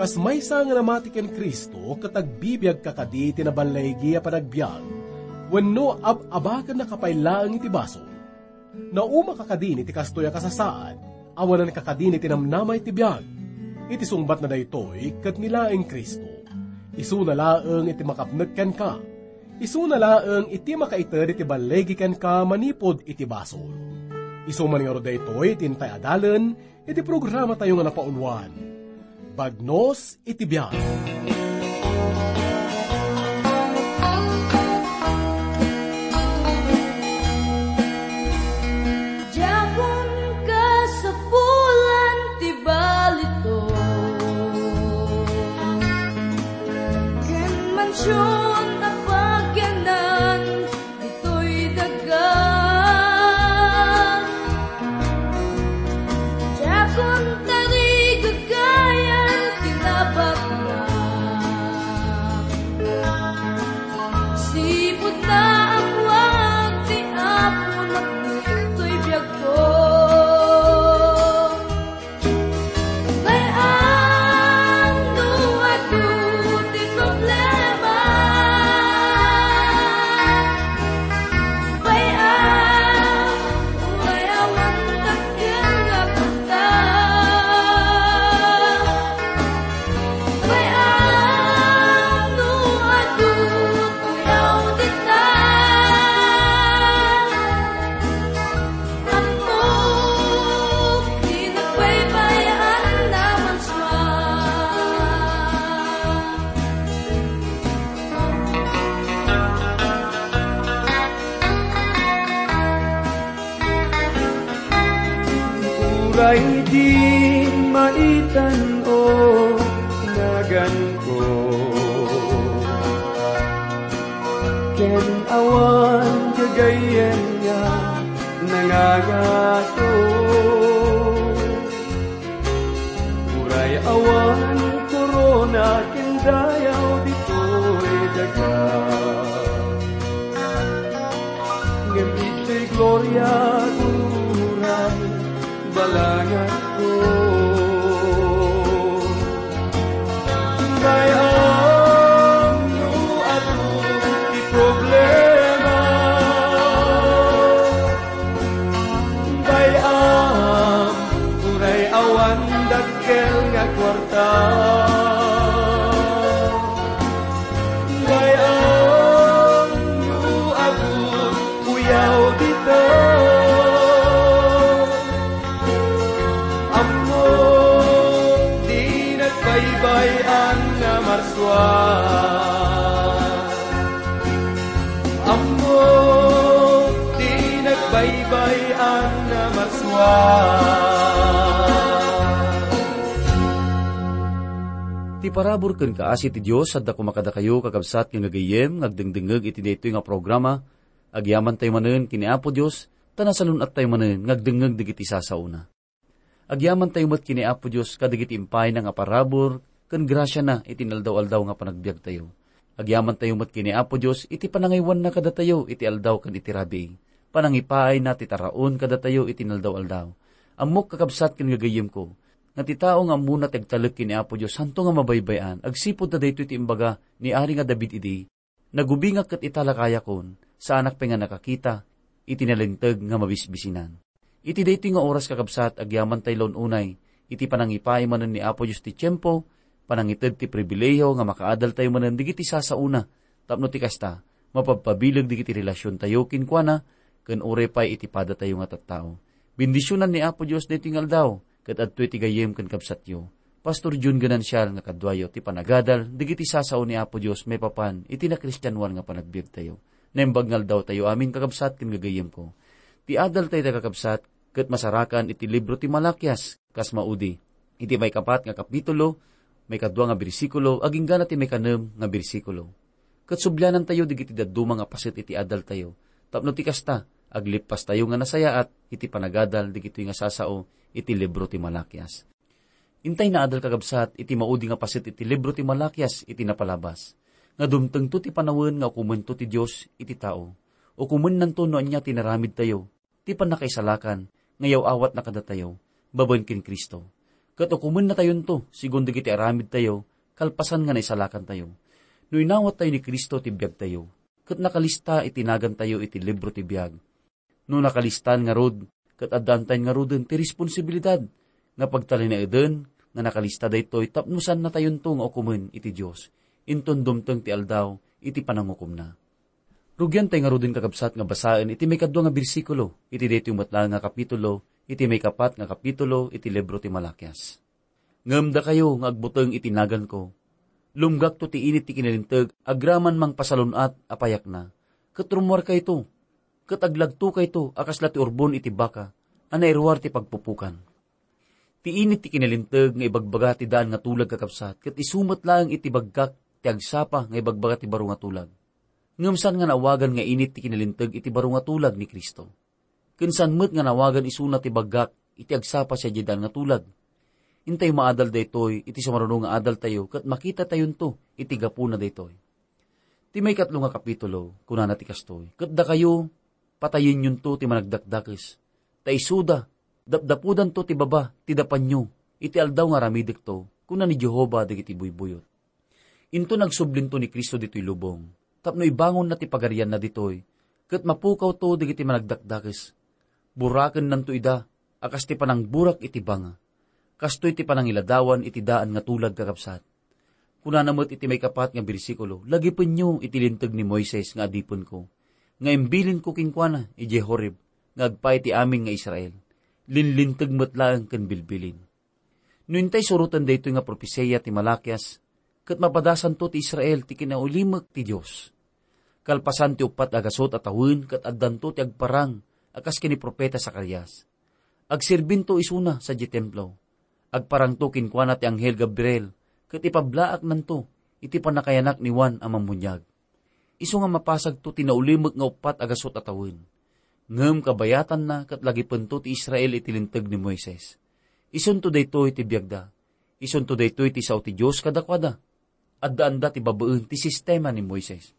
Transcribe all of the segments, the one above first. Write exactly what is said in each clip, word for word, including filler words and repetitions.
Kas maysa nga namati ken Cristo ket agbibiagka kadi iti naballigi a panagbiag, wenno ab-abakennaka pay laeng iti basol? Naumaka kadin iti kastoy a kasasaad, awananka kadin iti namnama iti biag. Iti sungbatna daytoy ket ni laeng Cristo. Isuna laeng iti makapnek kenka. Isuna laeng iti makaited iti balligi kenka manipud iti basol. Isu man ngarud daytoy ti intay adalen iti programatayo nga napauluan, Bagnos iti Biag. Diakon kasapulan ti balito, ken mansion a pagyanan ditoy daga. Diakon tarigagayan ti nabaknak. Sipud naammoak ti Aponak ditoy biagko. Bay-am no adu ti problema. Bay-am, uray awan dakkel nga kwarta. Bay-am no adu, uyaw dita. Ammok ti nagbaybay-an a marsua. Uray di maitan-o naganko, ken awan gagayyem nga nangangato. Uray awan korona ken dayaw ditoy daga, ngem ditoy gloria, uray balanganko. Bay-am no adu ti problema. Bay-am, uray awan dakkel nga kuarta. Bay-am no adu, uyaw dita. Ammok ti nagbaybay-an a marsua. Ammok ti nagbaybay-an a marsua. Ti parabur ken kaasi ti Dios adda koma kadakayo, kakabsat nga gagayyem, nga agdengdengngeg iti daytoy nga programa. Agyamantayo manen ken ni Apo Dios, ta nasalun-attayo manen nga agdengngeg dagiti sasaona. Agyamantayo met ken ni Apo Dios kadagiti impayna nga parabur ken grasiana iti inaldaw-aldaw nga panagbiagtayo. Agyamantayo met ken ni Apo Dios iti panangaywanna kadatayo iti aldaw ken iti rabii. Panangipaayna ti taraon kadatayo iti inaldaw-aldaw. Ammok, kakabsat ken gagayyemko, nga ti tao nga ammona ti agtalek ken ni Apo Dios, santo nga mabaybay-an, agsipud ta daytoy ti imbaga ni Ari nga David idi, "Nagubingak ket ita lakayakon, saanak pay nga nakakita iti nalinteg nga mabisbisinan." Iti daytoy nga oras, kakabsat, agyamantay la un-unay iti panangipaay manen ni Apo Dios ti tiempo, panangited ti pribilehiyo nga makaadaltayo manen dagiti sasaona, tapno ti kasta, mapabpabileg dagiti relasiontayo kenkuana, ken uray pay iti padatayo nga tattao. Bendisionan ni Apo Dios daytoy nga aldaw, ket adtoy ti gayyem ken kabsatyo, Pastor Jun Ganancial, nga kaduayo ti panagadal dagiti sasao ni Apo Dios maipapan iti nakristianoan nga panagbiagtayo. Naimbag nga aldawtayo amin, kakabsat ken gagayyemko. Ti adaltayo, kakabsat, ket masarakan iti libro ti Malakias, kas maudi. Iti maikapat nga kapitulo, maikadua nga bersikulo, agingga na ti maikanem nga bersikulo. Ket sublianantayo dagiti dadduma nga paset iti adaltayo, tapno ti kasta, aglippastayo nga nasayaat iti panagadal dagitoy nga sasao iti libro ti Malakias. Intay naadal, kakabsat, iti maudi nga paset iti libro ti Malakias iti napalabas, nga dumtengto ti panawen nga ukomento ti Dios iti tao. Ukomennanto no ania ti inaramidtayo, ti pannakaisalakan nga yaw-awatna kadatayo babaen ken Cristo. Ket ukomennatayonto, sigun dagiti aramidtayo, kalpasan nga naisalakantayo. No inawattayo ni Cristo ti biagtayo, ket nakalista iti nagantayo iti libro ti biag, no nakalistan ngarud, ket addantayon ngaruden ti responsibilidad nga pagtalinaeden nga nakalista daytoy tapno saannatayonto nga ukomen iti Dios, inton dumteng ti aldaw iti panangukomna. Rugiantay ngaruden, kakabsat, nga basaen iti maikadua nga bersikulo iti daytoy met laeng nga kapitulo, iti maikapat nga kapitulo iti libro ti Malakias. Ngem dakayo nga agbuteng iti naganko, lumgakto ti init ti kinalinteg agraman mangpasalun-at a payakna, ket rummuarkayto, ket aglagtokayto a kasla ti urbon iti baka a nairuar ti pagpupukan. Ti init ti kinalinteg nga ibagbaga ti daan nga tulag, kakabsat, ket isu met laeng iti baggak ti agsapa nga ibagbaga ti baro nga tulag. Ngem saan nga naawagan nga init ti kinalinteg iti baro nga tulag ni Cristo. Ken saan met nga naawagan isuna ti baggak iti agsapa sadiay daan nga tulag. Intayo maadal daytoy iti sumaruno nga adaltayo ket makitatayonto iti gapuna daytoy. Ti maikatlo nga kapitulo, kunana ti kastoy, "Ket dakayo, patayenyonto ti managdakdakes, ta isuda, dapdapudanto ti baba ti dapanyo iti aldaw nga aramidekto, kuna ni Jehovah dagiti buybuyot." Inton agsublinto ni Cristo ditoy lubong, tapno ibangonna ti pagarianna ditoy, ket mapukawto dagiti managdakdakes. Burakennanto ida a kas ti panangburak iti banga. Kastoy ti panangiladawan iti daan nga tulag, kakabsat. Kunana met iti maikapat nga bersikulo, "Lagipenyo iti linteg ni Moises nga adipenko, nga imbilinko kenkuana idiay Horeb nga agpaay ti amin nga Israel. Linlinteg met laeng ken bilbilin." No intay suroten daytoy nga propesia ti Malakias, ket mapadasanto ti Israel ti kinaulimek ti Dios. Kalpasan ti uppat a gasut a tawen ket addanto ti agparang a kas ken ni Profeta Zacarias. Agserbinto isuna sadiay templo. Agparangto kenkuana ti anghel Gabriel ket ipablaaknanto iti pannakayanak ni Juan a Mammuniag. Isu nga mapasagto ti naulimek nga uppat a gasut a tawen. Ngem kabayatanna ket lagipento ti Israel iti linteg ni Moises. Isunto daytoy ti biagda. Isunto daytoy ti sao ti Dios kadakuada. Addaanda ti babaen ti sistema ni Moises.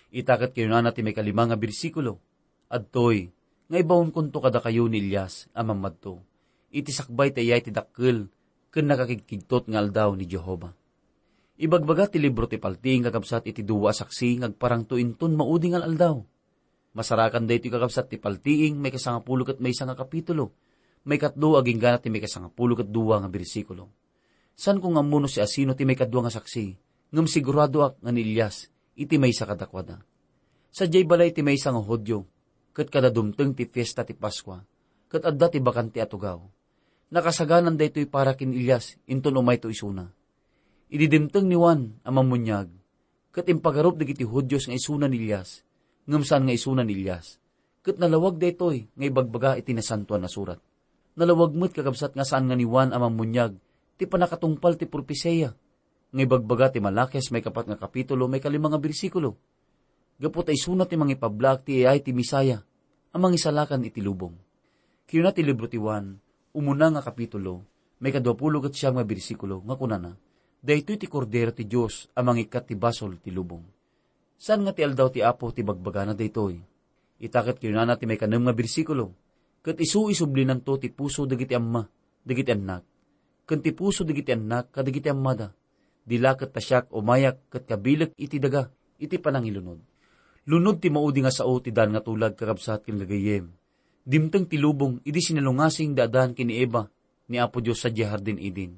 Ita ket kinunana ti maikalima nga bersikulo, "Adtoy, nga ibaonkonto kadakayo ni Elias a mammadto iti sakbay ti ayay ti dakkel ken nakakigkigtot nga aldaw ni Jehovah." Ibagbaga ti libro ti Paltiing, kakabsat, iti dua a saksi nga agparangto inton maudi nga al-aldaw. Masarakan daytoy, kakabsat, ti Paltiing, maikasangapulo ket maysa nga kapitulo, maikatlo agingga ti maikasangapulo ket dua nga bersikulo. Saanko nga ammo no siasino ti maikadua nga saksi, ngem siguradoak nga ni Elias iti maysa kadakuada. Sadiay balay ti maysa nga Judio, ket kada dumteng ti fiesta ti Paskua, ket adda ti bakante a tugaw. Nakasaganan daytoy para ken Elias inton umayto isuna. Idi dimteng ni Juan a Mammuniag, ket impagarup dagiti Judios nga isuna ni Elias, ngem saan nga isuna ni Elias, ket nalawag daytoy nga ibagbaga iti Nasantoan a Surat. Nalawag met, kakabsat, nga saan nga ni Juan a Mammuniag ti pannakatungpal ti propesia nga ibagbaga ti Malakias maikapat nga kapitulo, maikalima nga bersikulo. Gapu ta isuna ti mangipablaak ti ayay ti Messiah a mangisalakan iti lubong. Kinuna ti libro ti Juan, umuna nga kapitulo, maikaduapulo ket siam nga bersikulo, nga kunana, "Daytoy ti Kordero ti Dios a mangikkat ti basol ti lubong." Saan nga ti aldaw ti Apo ti bagbagana daytoy. Ita ket kinunana ti maikanem nga bersikulo, "Ket isu isublinanto ti puso dagiti amma, dagiti annak, ken ti puso dagiti annak kadagiti ammada. Di la ket ta siak umayak ket kabilek iti daga iti panangilunod." Lunod ti maudi nga sao ti daan nga tulag, kakabsat ken gagayyem. Dimteng ti lubong idi sinalungasing da Adan ken ni Eva ni Apo Dios sadiay Hardin Eden.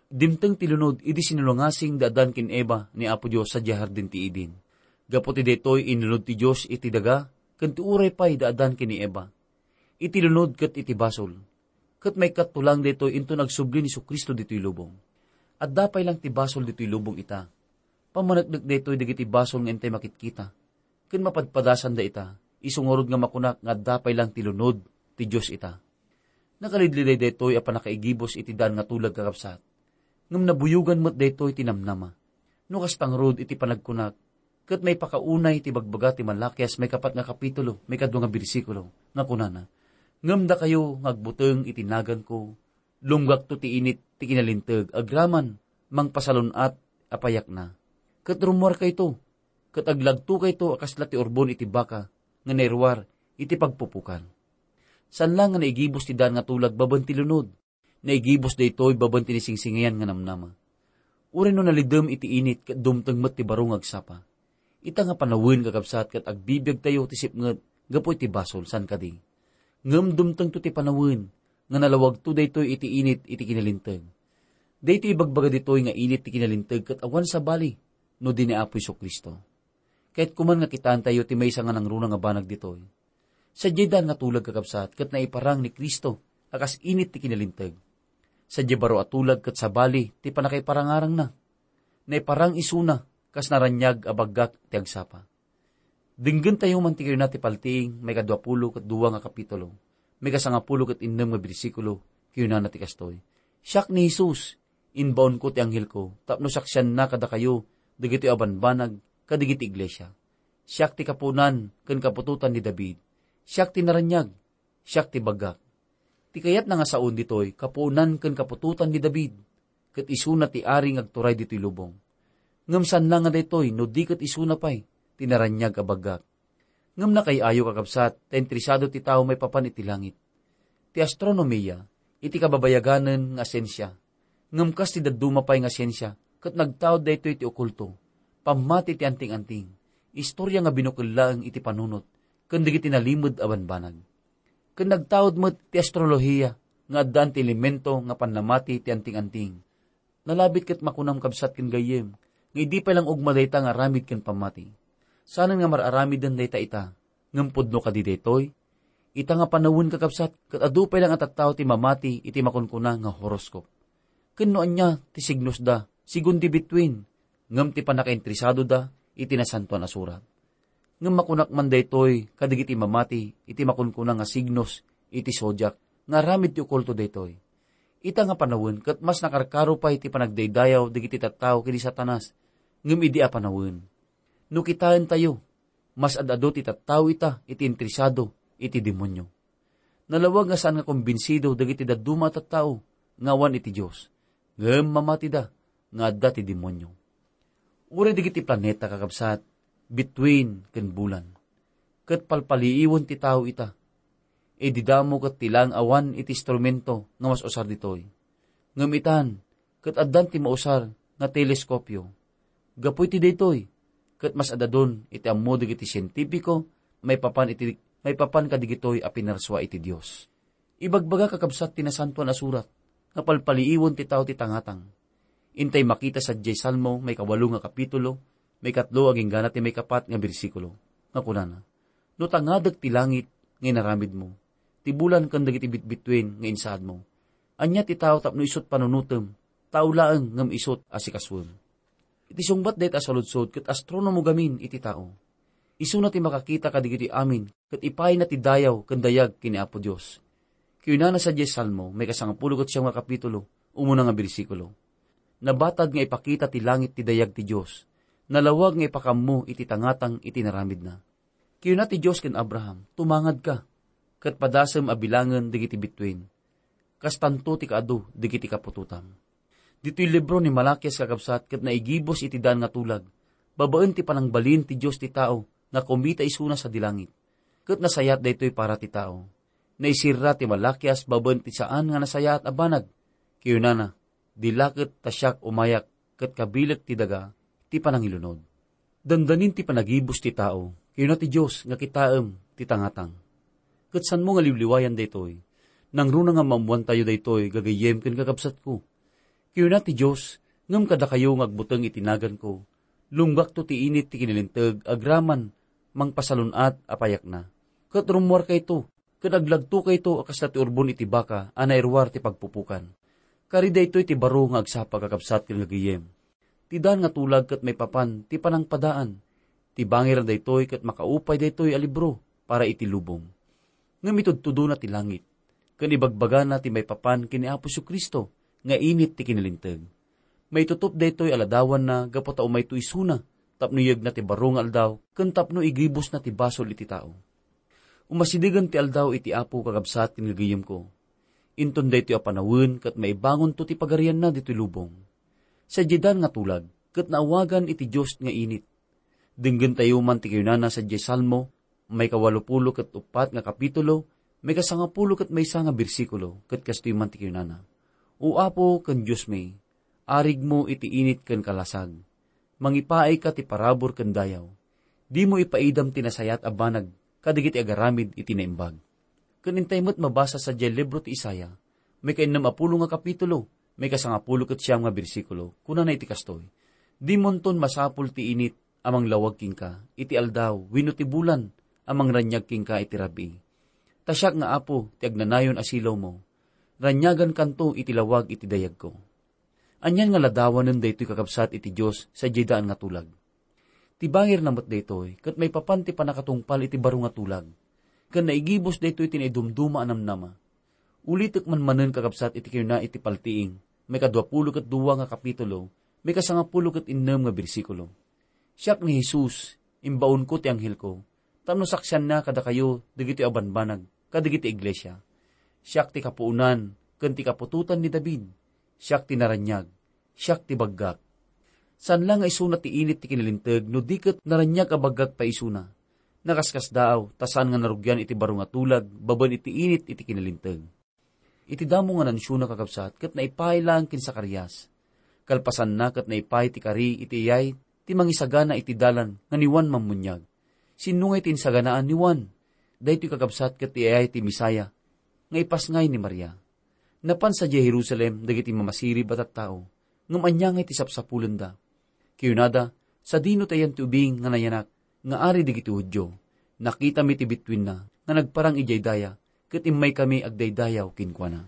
Dimteng ti lunod idi sinalungasing da Adan ken Eva ni Apo Dios sadiay Hardin ti Eden. Gapu ti daytoy, inlunod ti Dios iti daga ken ti uray pay da Adan ken ni Eva. Iti lunod ket iti basol. Ket maikatto lang daytoy inton agsubli ni Jesu-Cristo ditoy lubong. Adda pay lang ti basol ditoy lubong ita. Pammaneknek daytoy dagiti basol nga intay makitkita ken mapadpadasanda ita, isu ngarud nga makunak nga adda pay lang ti lunod ti Dios ita. Nakalidliday daytoy a pannakaigibus iti daan nga tulag, kakabsat. Ngem nabuyogan met daytoy ti namnama. No kasta ngarud iti panagkunak, ket maipakaunay ti bagbaga ti Malakias maikapat nga kapitulo, maikadua nga bersikulo, nga kunana, "Ngem dakayo nga agbuteng iti naganko, lumgakto ti init ti kinalinteg agraman mangpasalun-at a payakna. Ket rummuarkayto, ket aglagtokayto a kasla ti urbon iti baka nga nairuar iti pagpupukan." Saan la nga naigibus ti daan nga tulag babaen ti lunod. Naigibus daytoy babaen ti nasingsingayan nga namnama. Uray no nalidem iti init ket dumteng met ti baro nga agsapa. Ita nga panawen, kakabsat, ket agbibiagtayo ti sipnget gapu iti basol, saan kadi? Ngem dumtengto ti panawen nga nalawagto daytoy iti init iti kinalinteg. Daytoy ibagbaga ditoy nga init ti kinalinteg ket awan sabali no di ni Apo Jesu-Cristo. Kayatko man nga kitaentayo ti maysa nga nangruna nga banag ditoy. Sadiay daan nga tulag, kakabsat, ket naiparang ni Cristo a kas init ti kinalinteg. Sadiay baro a tulag ket sabali ti pannakaiparangarangna. Naiparang isuna kas naraniag a baggak ti agsapa. Denggentayo man ti kayuna ti Paltiing, maikadua pulo ket dua nga kapitulo, maikasangapulo ket innem nga bersikulo, kayunana ti kastoy: "Siak ni Jesus, imbaonko ti anghelko tapno saksianna kadakayo dagitoy a banbanag kadagiti iglesia. Siak ti kapuonan ken kaputotan ni David. Siak ti naraniag, siak ti baggak." Ti kayatna nga saon ditoy, kapuonan ken kaputotan ni David, ket isuna ti ari nga agturay ditoy lubong. Ngem saan la nga daytoy no di ket isuna pay ti naraniag a baggak. Ngem nakaay-ayo, kakabsat, ta interesado ti tao maipapan iti langit. Ti astronomia, iti kababayaganen nga siensia. Ngem kas ti dadduma pay nga siensia, ket nagtaud daytoy iti okulto, pammati ti anting-anting, istorya nga binukel laeng iti panunot, ken dagiti nalimed a banbanag. Ken nagtaud met ti astrolohiya nga addaan ti elemento nga pannamati ti anting-anting. Nalabit ket makunam, kabsat ken gayyem, nga idi pay lang ugma dayta nga aramid ken pammati. Saanen nga mar-aramiden dayta ita, ngem pudno kadi daytoy? Ita nga panawen, kakabsat, ket adu pay lang a tattao ti mamati iti makunkuna nga horoscope. Ken no ania ti signosda, sigun di bituin, ngem ti pannakainteresadoda iti Nasantoan a Surat. Ngem makunak man daytoy kadagiti mamati iti makunkuna nga signos iti zodiac nga aramid ti okulto daytoy. Ita nga panawen ket mas nakarkaro pay ti panagdaydayaw dagiti tattao ken ni Satanas, ngem idi a panawen. No kitaentayo, mas ad-adu ti tattao ita iti interesado iti demonio. Nalawag nga saan nga kumbinsido dagiti dadduma a tattao nga awan iti Dios, ngem mamatida nga adda ti demonio. Uray dagiti planeta, kakabsat, bituin ken bulan, ket palpaliiwen ti tao ita. Idi damo ket ti laeng awan iti instrumento nga mas usar ditoy. Ngem itan, ket addan ti mausar nga teleskopio. Gapu iti daytoy, ket mas ad-adun iti ammo dagiti sientipiko maipapan iti, maipapan kadigitoy a pinarsua iti Dios. Ibagbaga, kakabsat, ti Nasantoan a Surat nga palpaliiwen ti tao ti tangatang. Intay makita sadiay Salmo, maikawalo nga kapitulo, maikatlo agingga ti maikapat nga bersikulo, nga kunana: "No tangadek ti langit nga inaramidmo, ti bulan ken dagiti bitbituin nga insaadmo, ania ti tao tapno isut' panunotem? Tao laeng ngem isut' a sikasuem." Iti sungbat dayta a saludsod ket astronomo gamin iti tao. Isuna ti makakita kadagitoy amin ket ipaayna ti dayaw ken dayag ken ni Apo Dios. Kayunana sadiay Salmo, maikasangapulo ket siam nga kapitulo, umuna nga bersikulo: "Nabatad nga ipakita ti langit ti dayag ti Dios, nalawag nga ipakammo iti tangatang iti inaramidna." Kayuna ti Dios ken Abraham, "Tumangadka, ket padasem a bilangen dagiti bituin. Kastanto ti kaadu dagiti kaputotam." Ditoy libro ni Malakias, kakabsat, ket naigibus iti daan nga tulag, babaen ti panangbalin ti Dios ti tao nga kumita isuna sadi langit. Ket nasayaat daytoy para ti tao. Naisirra ti Malakias babaen ti saan nga nasayaat a banag. Kayunana, "Di la ket ta siak umayak ket kabilek ti daga ti panangilunod." Dandanin ti panagibus ti tao, kayuna ti Dios nga kitaem ti tangatang. Ket saanmo nga liwliwayan daytoy. Nangruna nga maammoantayo daytoy, gagayyem ken kakabsatko. Kayuna ti Dios, ngem kadakayo nga agbuteng iti naganko, lunggakto ti init ti kinalinteg agraman mangpasalun-at a payakna. Ket rummuarkayto, ket aglagtokayto a kasla ti urbon iti baka a nairuar ti pagpupukan. Kari daytoy ti baro nga agsapa, kakabsat ken gagayyem. Ti daan nga tulag ket maipapan ti panangpadaan. Ti bangirna daytoy ket makaupay daytoy a libro para iti lubong. Ngem itudtudona ti langit, ken ibagbagana ti maipapan ken ni Apo Jesu-Cristo nga init ti kinalinteg. Maitutup daytoy a ladawanna gapu ta umayto isuna tapno iyegna ti baro nga aldaw ken tapno igibusna ti basol iti tao. Umasidegen ti aldaw iti Apo, kakabsat ken gagayyemko. Inton daytoy a panawen ket maibangonto ti pagarianna ditoy lubong. Sadiay daan nga tulag ket naawagan iti Dios nga init. Denggentayo man ti kayunana sadiay Salmo, maikawalupulo ket uppat nga kapitulo, maikasangapulo ket maysa nga bersikulo, ket kastoy man ti kayunana: O Apo ken Diosmi, arigmo iti init ken kalasag. Mangipaayka ti parabur ken dayaw. Dimo ipaidam ti nasayaat a banag kadagiti agaramid iti naimbag. Ken intay met mabasa sadiay libro ti Isaiah, maikainnem a pulo nga kapitulo, maikasangapulo ket siam nga bersikulo, kunana iti kastoy, "Dimonton masapul ti init a manglawag kenka iti aldaw wenno ti bulan a mangraniag kenka iti rabii. Ta siak nga Apo ti agnanayon a silawmo. Raniagankanto iti lawag iti dayagko." Anian nga ladawanen daytoy, kakabsat, iti Dios sadiay daan nga tulag. Ti bangirna met daytoy ket maipapan ti pannakatungpal iti baro nga tulag, ken naigibus daytoy iti naidumduma a namnama. Ulitek man manen, kakabsat, iti kinuna iti Paltiing, maikadua pulo ket dua nga kapitulo, maikasangapulo ket innem nga bersikulo, "Siak ni Jesus, imbaonko ti anghelko, tapno saksianna kadakayo dagitoy a banbanag kadagiti iglesia. Siak ti kapuonan ken ti kaputotan ni David. Siak ti naraniag, siak ti baggak." Saan la nga isuna ti init ti kinalinteg no di ket naraniag a baggak pay isuna. Nakaskasdaaw, ta saan nga narugian iti baro nga tulag babaen iti init iti kinalinteg. Iti damo nga nansiona, kakabsat, ket naipaay laeng ken Zacarias. Kalpasanna ket naipaay ti kari iti iyay ti mangisagana iti dalan nga ni Juan Mammuniag. Sinno ngay ti insaganaan ni Juan? Daytoy, kakabsat, ket ti iyay ti Messiah nga ipasngay ni Maria. Napan sadiay Jerusalem dagiti mamasirib a tattao, ngem ania ngay ti sapsapulenda? Kinunada, "Sadino ti ayan ti ubing nga nayanak nga ari dagiti Judio? Nakitami ti bittuenna nga nagparang idiay daya, ket immaykami agdaydayaw kenkuana."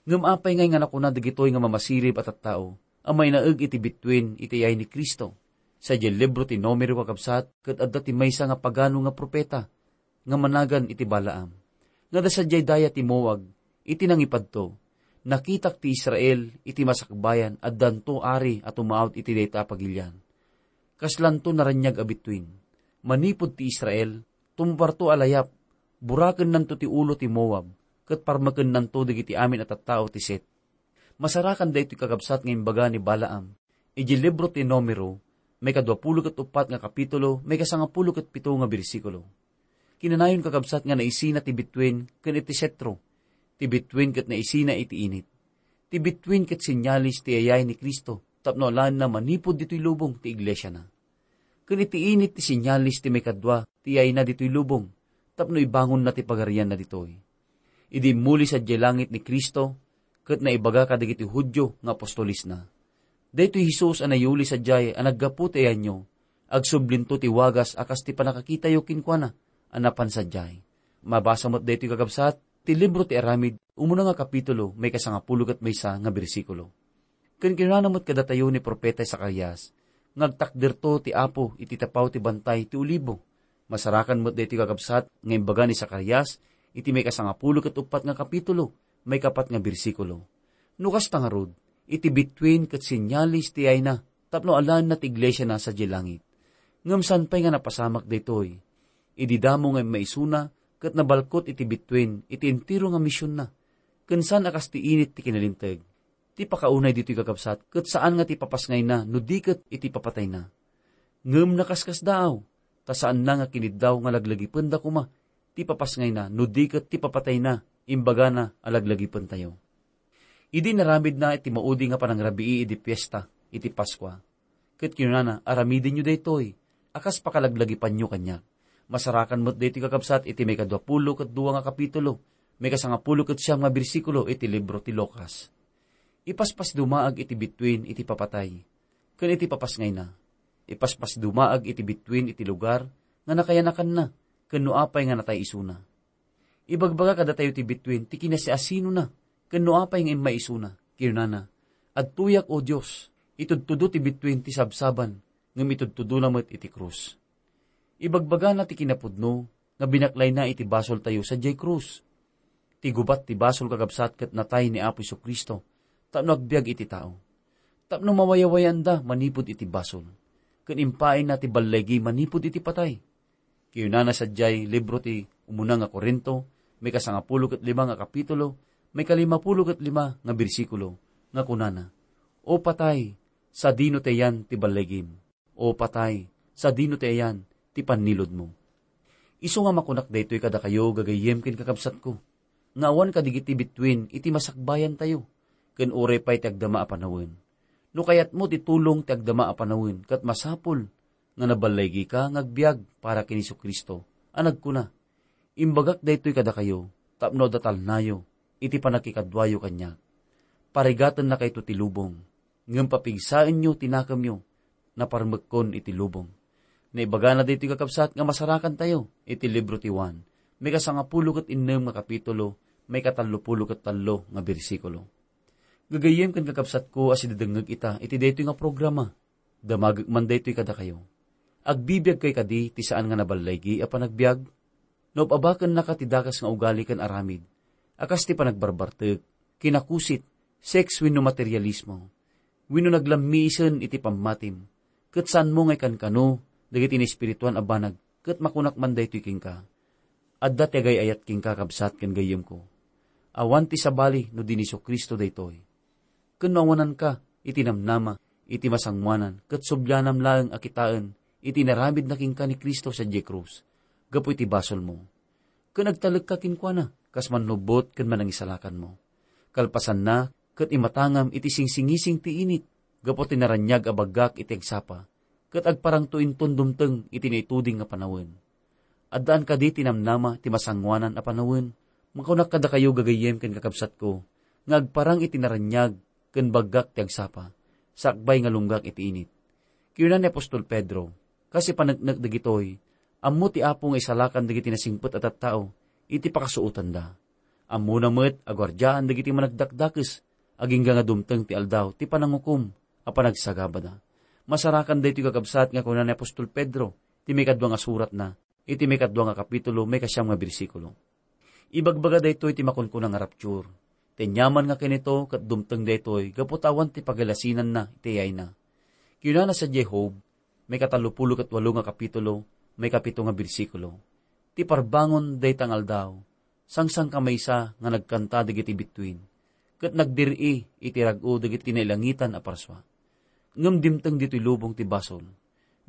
Ngem apay ngay nga nakuna dagitoy nga mamasirib a tattao a mainaeg iti bittuen iti iyay ni Cristo? Sadiay libro ti Numero, kakabsat, ket adda ti maysa nga pagano nga profeta nga managan iti Balaam, nga adda sadiay daya ti Moab iti nangipadto, "Nakitak ti Israel iti masakbayan, addanto ari a tumaud iti dayta a pagilian. Kaslanto naraniag a bittuen. Manipud ti Israel, tumparto a layap, burakennanto ti ulo ti Moab, ket parmekennanto dagiti amin a tattao ti Set." Masarakan daytoy, kakabsat, nga imbaga ni Balaam idiay libro ti Numero, maikadua pulo ket uppat nga kapitulo, maikasangapulo ket pito nga bersikulo. Kinanayon, kakabsat, nga naisina ti bittuen ken iti setro. Ti bittuen ket naisina iti init. Ti bittuen ket senyales ti iyay ni Cristo tapno alaenna manipud ditoy lubong ti iglesiana. Ken iti init ti senyales ti maikadua ti iyayna ditoy lubong tapno ibangonna ti pagarianna ditoy. Idi immuli sadiay langit ni Cristo, ket naibaga kadagiti Judio nga apostolesna, "Daytoy Jesus a nayuli sadiay a naggapu ti ayanyo, agsublinto ti wagas a kas ti pannakakitayo kenkuana a napan sadiay." Mabasa met daytoy, kakabsat, ti libro ti Aramid, umuna nga kapitulo, maikasangapulo ket maysa nga bersikulo. Ken kinunana met kadatayo ni profeta Zacarias nga agtakderto ti Apo iti tapaw ti bantay ti Olibo. Masarakan met daytoy, kakabsat, nga imbaga ni Zacarias iti maikasangapulo ket uppat nga kapitulo, maikapat nga bersikulo. No kasta ngarud, iti bittuen ket senyales ti iyayna tapno alaenna ti iglesiana sadiay langit. Ngem saan pay nga napasamak daytoy. Idi damo nga immaisuna ket nabalkot iti bittuen iti entero nga misionna, ken saan a kas ti init ti kinalinteg. Ti pakaunay ditoy, kakabsat, ket saan nga ti papasngayna no di ket iti papatayna. Ngem nakaskasdaaw, ta saanna nga kiniddaw nga laglagipenda koma ti papasngayna no di ket ti papatayna, imbagana a laglagipentayo. Idi naramidna iti maudi nga panangrabii idi fiesta iti Paskua, ket kinunana, "Aramidenyo daytoy a kas pakalaglagipanyo kaniak." Masarakan met daytoy, kakabsat, iti maikadua pulo ket dua nga kapitulo, maikasangapulo ket siam nga bersikulo iti libro ti Lucas. Ipaspasdumaag iti bittuen iti papatay ken iti papasngayna. Ipaspasdumaag iti bittuen iti lugar nga nakayanakanna ken no apay nga natay isuna. Ibagbaga kadatayo ti bittuen ti kinasiasinona ken no apay nga immaisuna. Kinunana, "Adtoyak, O Dios, itudtudo ti bittuen ti sabsaban, ngem itudtudona met iti krus." Ibagbagana ti kinapudno nga binaklayna iti basoltayo sadiay krus. Ti gubat ti basol, kakabsat, ket natay ni Apo Jesu-Cristo tapno agbiag iti tao, tapno mawayawayanda manipud iti basol, ken impaayna ti balligi manipud iti patay. Kinunana sadiay libro ti Umuna nga Corinto, maikasangapulo ket lima nga kapitulo, maikalimapulo ket lima nga bersikulo, nga kunana, "O patay, sadino ti ayan ti balligim? O patay, sadino ti ayan ti panniludmo?" Isu nga makunak daytoy kadakayo, gagayyem ken kakabsatko, nga awan kadagiti bittuen iti masakbayantayo, ken uray pay ti agdama a panawen. No kayatmo ti tulong ti agdama a panawen, ket masapul nga naballaygika nga agbiag para ken Jesu-Cristo a nagkuna, "Imbagak daytoy kadakayo tapno adda talnayo iti pannakikaduayo kaniak." Parigatennakayto ti lubong, ngem papigsaenyo ti nakemyo, naparmekkon iti lubong. Naibagana daytoy, kakabsat, nga masarakantayo iti libro ti Juan, maikasangapulo ket innem nga kapitulo, maikatallopulo ket tallo nga bersikulo. Gagayyem ken kakabsatko a sidadengngeg ita iti daytoy nga programa, damagek man daytoy kadakayo. Agbibiagkay kadi ti saan nga naballaygi a panagbiag? No ub-abakennaka ti dakes nga ugali ken aramid, a kas ti panagbarbartek, kinakusit, sex wenno materialismo, wenno naglammiisen iti pammatim, ket saanmo nga ikankano dagiti naespirituan a banag, ket makunak man daytoy kenka, adda ti agay-ayat kenka, kabsat ken gayyemko. Awan ti sabali no di ni Jesu-Cristo daytoy. Ken no awananka iti namnama iti masangoanan ket sublianam laeng a kitaen iti inaramidna kenka ni Cristo sadiay krus gapu iti basolmo, ken agtalekka kenkuana kas mannubbot ken manangisalakanmo. Kalpasanna, ket imatangam iti singsingising ti init gapu ti naraniag a baggak iti agsapa, ket agparangto inton dumteng iti naituding nga panawen. Addaan kadi ti namnama ti masangoanan a panawen? Makunak kadakayo, gagayyem ken kakabsatko, nga agparang iti naraniag ken baggak ti agsapa, sakbay nga lunggak iti init. Kinuna ni apostol Pedro, kas ipaneknek dagitoy, ammo ti Apo nga isalakan dagiti nasingpet a tattao iti pakasuotanda. Ammona met a guardiaan dagiti managdakdakes, agingga nga dumteng ti aldaw ti panangukom a panagsagabada. Masarakan daytoy, kakabsat, nga kuna ni apostol Pedro ti maikadua nga suratna, iti maikadua nga kapitulo, maikasiam nga bersikulo. Ibagbaga daytoy ti makunkuna nga rapture. Ti aniaman nga kinito ket dumteng daytoy gapu ta awan ti pagalasinanna iti ayayna. Kinunana sadiay Job, maikatallopulo ket walo nga kapitulo, maikapito nga bersikulo, ti parbangon dayta nga aldaw, sangsangkamaysa nga nagkanta dagiti bituen, ket nagdir-i iti rag-o dagiti nailangitan a parsua. Ngem dimteng ditoy lubong ti basol.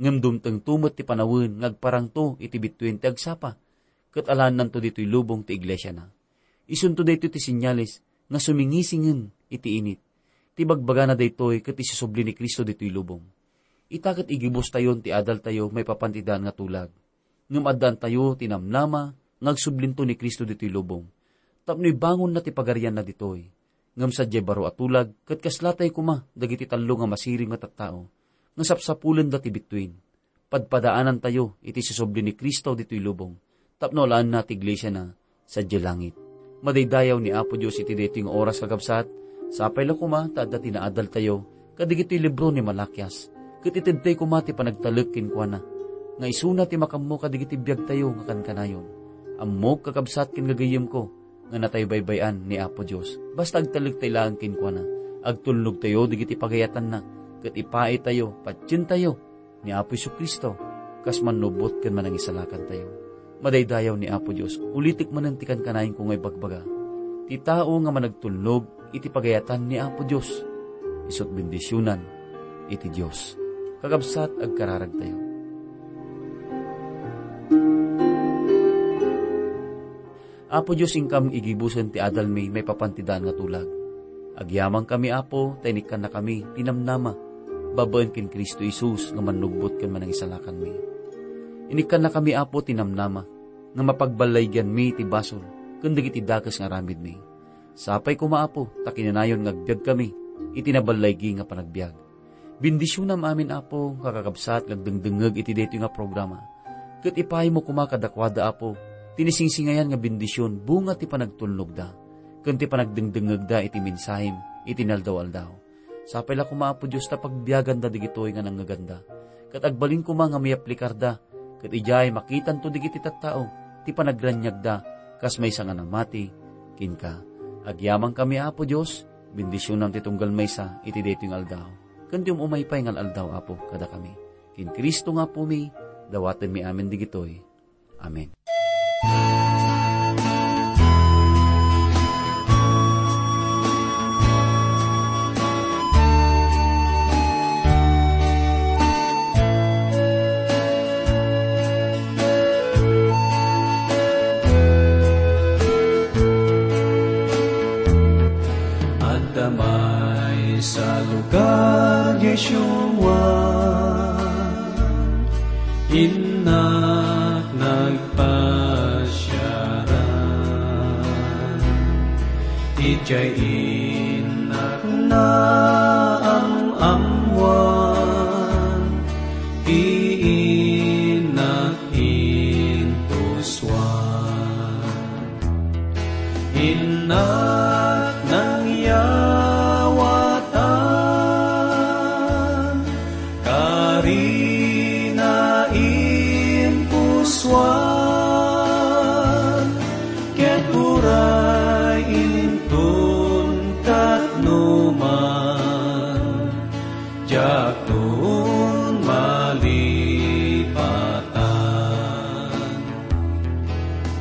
Ngem dumtengto met ti panawen nga agparangto iti bituen ti agsapa, ket alaennanto ditoy lubong ti iglesiana. Isunto daytoy ti senyales nga sumingisingen iti init. Ti bagbagana daytoy ket isusubli ni Cristo ditoy lubong. Ita ket igibustayon ti adaltayo maipapan ti daan nga tulag. Ngem addaantayo ti namnama nga agsublinto ni Cristo ditoy lubong, tapno ibangonna ti pagarianna ditoy. Ngem sadiay baro a tulag, ket kaslatay koma dagiti tallo nga masirib nga tattao nga sapsapulenda ti bituen. Padpadaanantayo iti susubli ni Cristo ditoy lubong, tapno alaenna ti iglesiana sadiay langit. Madaydayaw ni Apo Dios iti daytoy nga oras, kakabsat. Sapay la koma ta adda ti naadaltayo kadagitoy libro ni Malakias, ket itedtay koma ti panagtalek kenkuana, nga isuna ti makammo kadagiti biagtayo nga kankanayon. Ammok, kakabsat ken gagayyemko, nga natay baybay-an ni Apo Dios, basta agtalektay laeng kenkuana. Agtulnogtayo dagiti pagayatanna, ket ipaaytayo, patientayo ni Apo Jesu-Cristo, kas mannubbot ken manangisalakantayo. Madaydayaw ni Apo Dios, ulitek manen ti kankanayenko nga ibagbaga. Ti tao nga managtulnog iti pagayatan ni Apo Dios, isut' bendisionan iti Dios. Kakabsat, agkararagtayo. Apo Dios, inkam igibusen ti adalmi maipapan ti daan nga tulag. Agyamankami, Apo, ta inikkannakami ti namnama babaen ken Cristo Jesus nga mannubbot ken manangisalakanmi. Inikkannakami, Apo, ti namnama nga mapagballaygianmi ti basol ken dagiti dakes nga aramidmi. Sapay koma, Apo, ta kinanayon nga agbiagkami iti naballaygi nga panagbiag. Bendisionam amin, Apo, nga kakabsat nga agdengdengngeg iti daytoy nga programa. Ket ipaaymo koma kadakuada, Apo, ti nasingsingayan nga bendision, bunga ti panagtulnogda ken ti panagdengdengngegda iti mensahem iti inaldaw-aldaw. Sapay la koma, Apo Dios, ta pagbiaganda dagitoy nga nangngeganda, ket agbalin koma nga maiaplikarda, ket idiay makitanto dagiti tattao ti panagraniagda kas maysa nga namati kenka. Agyamankami, Apo Dios, bendisionam ti tunggal maysa iti daytoy nga aldaw, ken ti um-umay pay nga aldaw, Apo, kadakami. Ken Cristo nga Apomi, dawatenmi amin dagitoy. Amen. Adda Idiay innak naam-ammoan ti innak intusuan. Innak nangyawatan, karina inpusuan, ket uray inton katno man, diakton malipatan.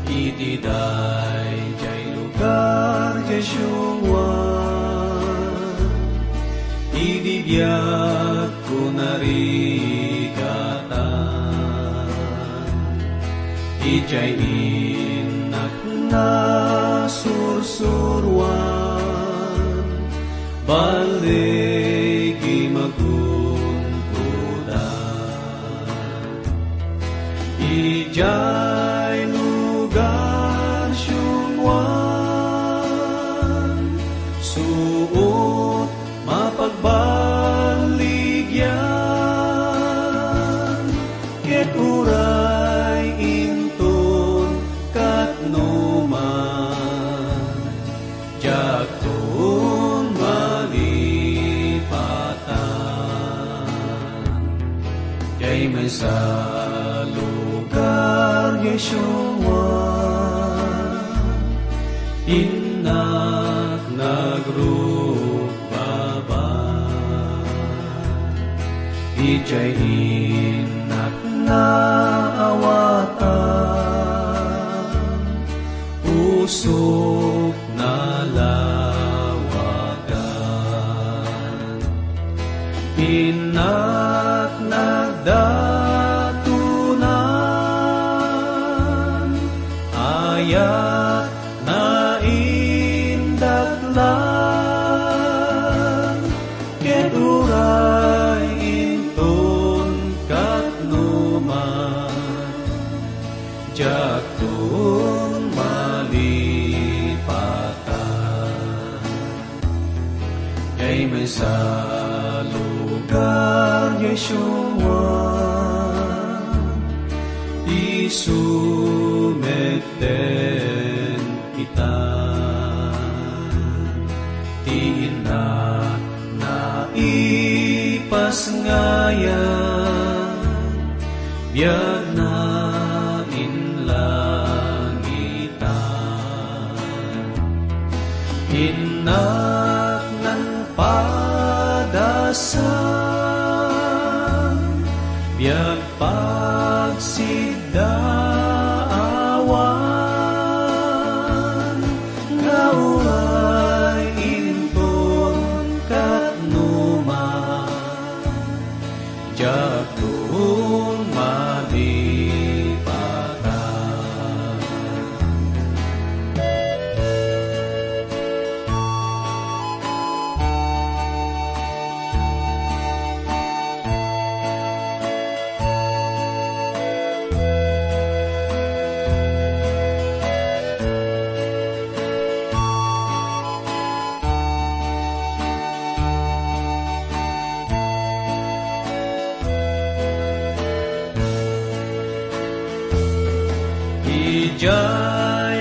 Iti daydiay lugar diay siungoan, idi biagko narigatan, idiay innak nasursuroan, balligi magungodan. Idiay lugar siungoan, suot mapagballigian, ket uray inton katno man, diakton malipatan. Diay maysa lugar diay siungoan, innak nagrukbaba. Idiay innak naawatan, pusok nalawagan. Innak nagdatonan, ayat naindaklan, ket uray inton katno man, diakton malipatan. Diay maysa lugar diay siungoan, isu metten ita. Ti inna naipasngayam, biagna inlangitan. Innak nangpadasan, biag pagsiddaawan, nga uray inton katno man, diakton malipatan. Idiay